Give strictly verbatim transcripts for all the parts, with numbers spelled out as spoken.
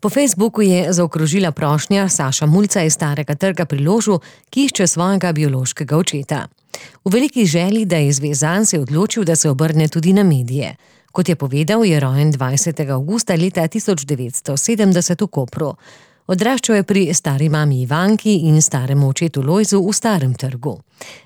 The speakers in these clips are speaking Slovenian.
Po Facebooku je zaokrožila prošnja Saša Mulca iz Starega trga pri Ložu, ki išče svojega biološkega očeta. V veliki želji, da je izvezan, se je odločil, da se obrne tudi na medije. Kot je povedal, je rojen dvajsetega avgusta leta tisoč devetsto sedemdeset v Kopru. Odraščal je pri stari mami Ivanki in staremu očetu Lojzu v Starem trgu.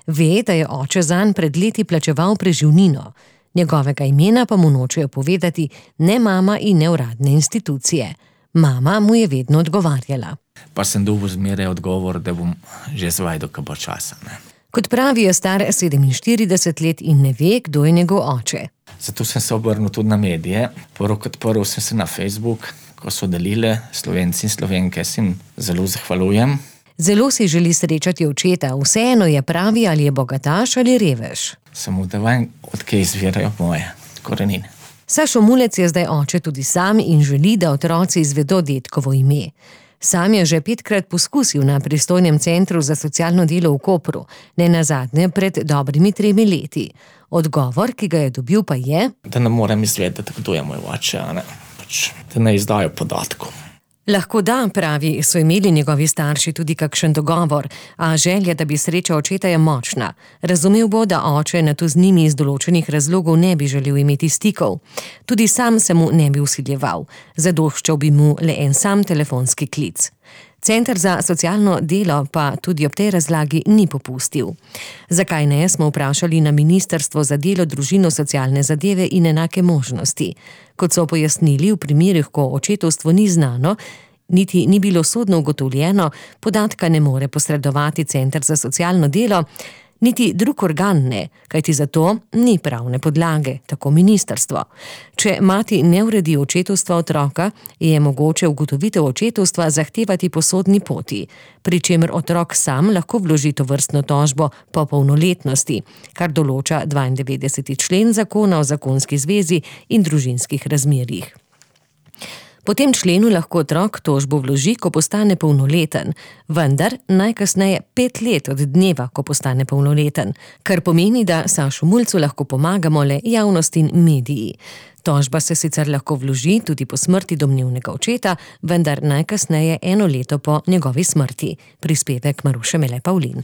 Ve, da je oče zanj pred leti plačeval preživnino. Njegovega imena pa mu nočejo povedati ne mama in ne uradne institucije. Mama mu je vedno odgovarjala. Pa sem dobil zmeraj odgovor, da bom že zvajdo, ko bo časa. Ne? Kot pravi, je star sedeminštirideset let in ne ve, kdo je njegov oče. Zato sem se obrnil tudi na medije. Prvo kot prvo sem se na Facebook, ko so delile Slovenci in Slovenke, sem zelo zahvaljujem. Zelo si želi srečati očeta, vseeno je pravi, ali je bogataš ali revež. Samo da vem, odkje izvirajo moje korenine. Sašo Mulec je zdaj oče tudi sam in želi, da otroci izvedo dedkovo ime. Sam je že petkrat poskusil na pristojnem centru za socialno delo v Kopru, ne nazadnje pred dobrimi tremi leti. Odgovor, ki ga je dobil, pa je, da ne morem izvedeti, kdo je moj oče, a ne, pač, da ne izdajo podatkov. Lahko da, pravi, so imeli njegovi starši tudi kakšen dogovor, a želja, da bi srečal očeta, je močna. Razumel bo, da oče na to z njimi iz določenih razlogov ne bi želel imeti stikov. Tudi sam se mu ne bi vsiljeval. Zadoščal bi mu le en sam telefonski klic. Center za socialno delo pa tudi ob tej razlagi ni popustil. Zakaj ne, smo vprašali na Ministrstvo za delo, družino, socialne zadeve in enake možnosti. Kot so pojasnili, v primerih, ko očetovstvo ni znano, niti ni bilo sodno ugotovljeno, podatka ne more posredovati Center za socialno delo, niti drug organ ne, kajti za to ni pravne podlage, tako ministrstvo. Če mati ne uredi očetovstva otroka, je mogoče ugotovitev očetovstva zahtevati po sodni poti, pri čemer otrok sam lahko vloži tovrstno tožbo po polnoletnosti, kar določa dvaindevetdeseti člen Zakona o zakonski zvezi in družinskih razmerjih. Po tem členu lahko otrok tožbo vloži, ko postane polnoleten, vendar najkasneje pet let od dneva, ko postane polnoleten, kar pomeni, da Sašu Mulcu lahko pomagamo le javnost in mediji. Tožba se sicer lahko vloži tudi po smrti domnevnega očeta, vendar najkasneje eno leto po njegovi smrti. Prispevek Maruše Mele Pavlin.